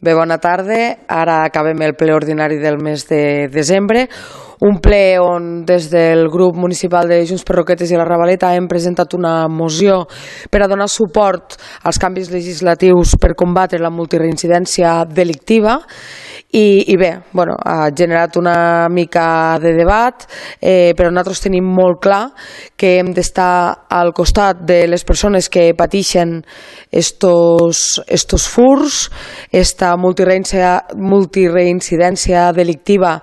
Bé, bona tarda. Ara acabem el ple ordinari del mes de desembre, un ple on des del grup municipal de Junts per Roquetes i la Ravaleta hem presentat una moció per a donar suport als canvis legislatius per combatre la multireincidència delictiva i bé, ha generat una mica de debat, però nosaltres tenim molt clar que hem d'estar al costat de les persones que pateixen estos furs, esta multireincidència delictiva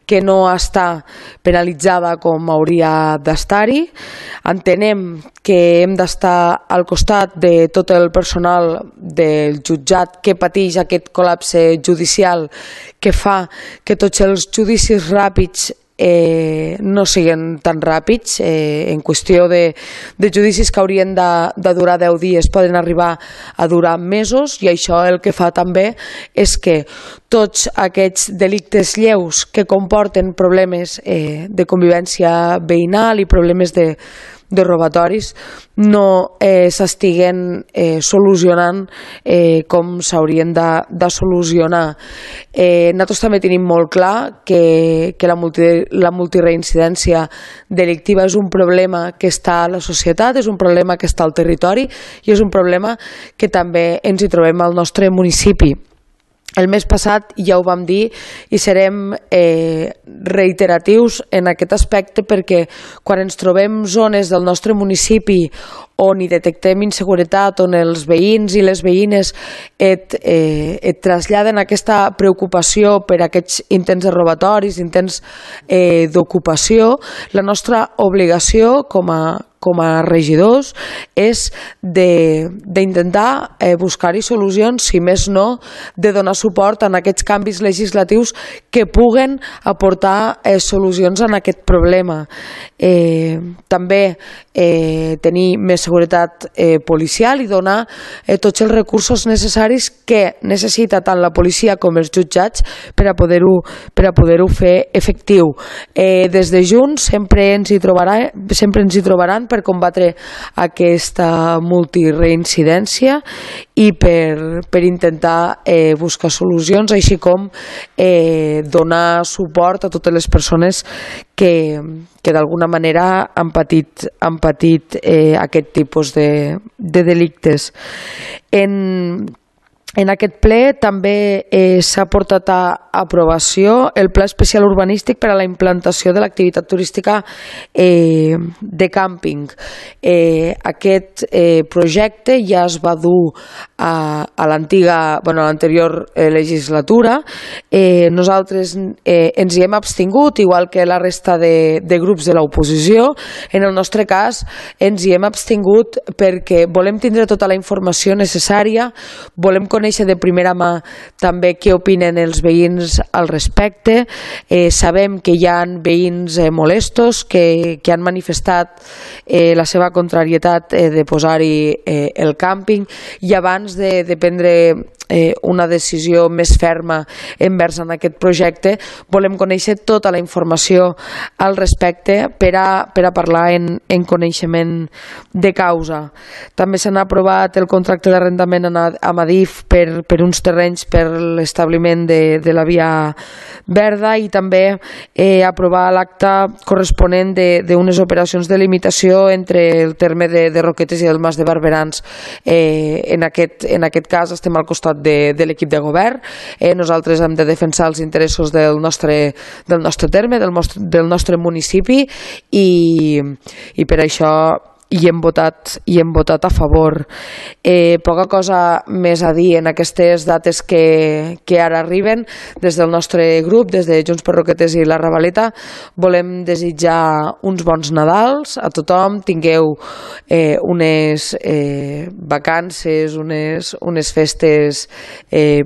que no està penalitzada com hauria d'estar-hi. Entenem que hem d'estar al costat de tot el personal del jutjat que pateix aquest col·lapse judicial que fa que tots els judicis ràpids no siguin tan ràpids. En qüestió de judicis que haurien de durar 10 dies poden arribar a durar mesos, i això el que fa també és que tots aquests delictes lleus que comporten problemes de convivència veïnal i problemes de robatoris no s'estiguen solucionant com s'haurien de solucionar. Nosaltres també tenim molt clar que la multireincidència delictiva és un problema que està a la societat, és un problema que està al territori i és un problema que també ens hi trobem al nostre municipi. El mes passat ja ho vam dir i serem reiteratius en aquest aspecte, perquè quan ens trobem zones del nostre municipi on hi detectem inseguretat, on els veïns i les veïnes et traslladen aquesta preocupació per aquests intents de robatoris, intents d'ocupació, la nostra obligació com a regidors és d'intentar buscar-hi solucions, si més no, de donar suport a aquests canvis legislatius que puguen aportar solucions a aquest problema. També tenir més seguretat policial i donar tots els recursos necessaris que necessita tant la policia com els jutjats per a poder-ho fer efectiu. Des de Junts sempre ens hi trobaran per combatre aquesta multireincidència i per intentar buscar solucions, així com donar suport a totes les persones que d'alguna manera han patit aquest tipus de delictes. En aquest ple també s'ha portat a aprovació el Pla Especial Urbanístic per a la implantació de l'activitat turística de càmping. Aquest projecte ja es va dur a l'anterior legislatura. Nosaltres ens hi hem abstingut, igual que la resta de grups de l'oposició. En el nostre cas ens hi hem abstingut perquè volem tindre tota la informació necessària, volem conèixer de primera mà també què opinen els veïns al respecte. Sabem que hi ha veïns molestos que han manifestat la seva contrarietat de posar-hi el càmping, i abans de prendre una decisió més ferma envers en aquest projecte volem conèixer tota la informació al respecte per a parlar en coneixement de causa. També s'han aprovat el contracte d'arrendament amb Adif per uns terrenys per l'establiment de la via verda, i també aprovar l'acte corresponent d'unes operacions de limitació entre el terme de Roquetes i el Mas de Barberans. En aquest cas estem al costat de l'equip de govern. Nosaltres hem de defensar els interessos del nostre terme, del nostre municipi, i per això hi hem votat a favor. Poca cosa més a dir en aquestes dates que ara arriben. Des del nostre grup, des de Junts per Roquetes i la Ravaleta, volem desitjar uns bons Nadals a tothom. Tingueu unes vacances, unes festes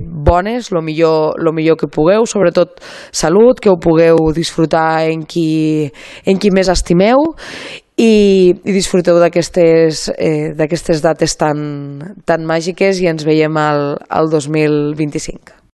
bones, lo millor que pugueu, sobretot salut, que ho pugueu disfrutar en qui més estimeu, i disfruteu d'aquestes dates tan màgiques, i ens veiem al 2025.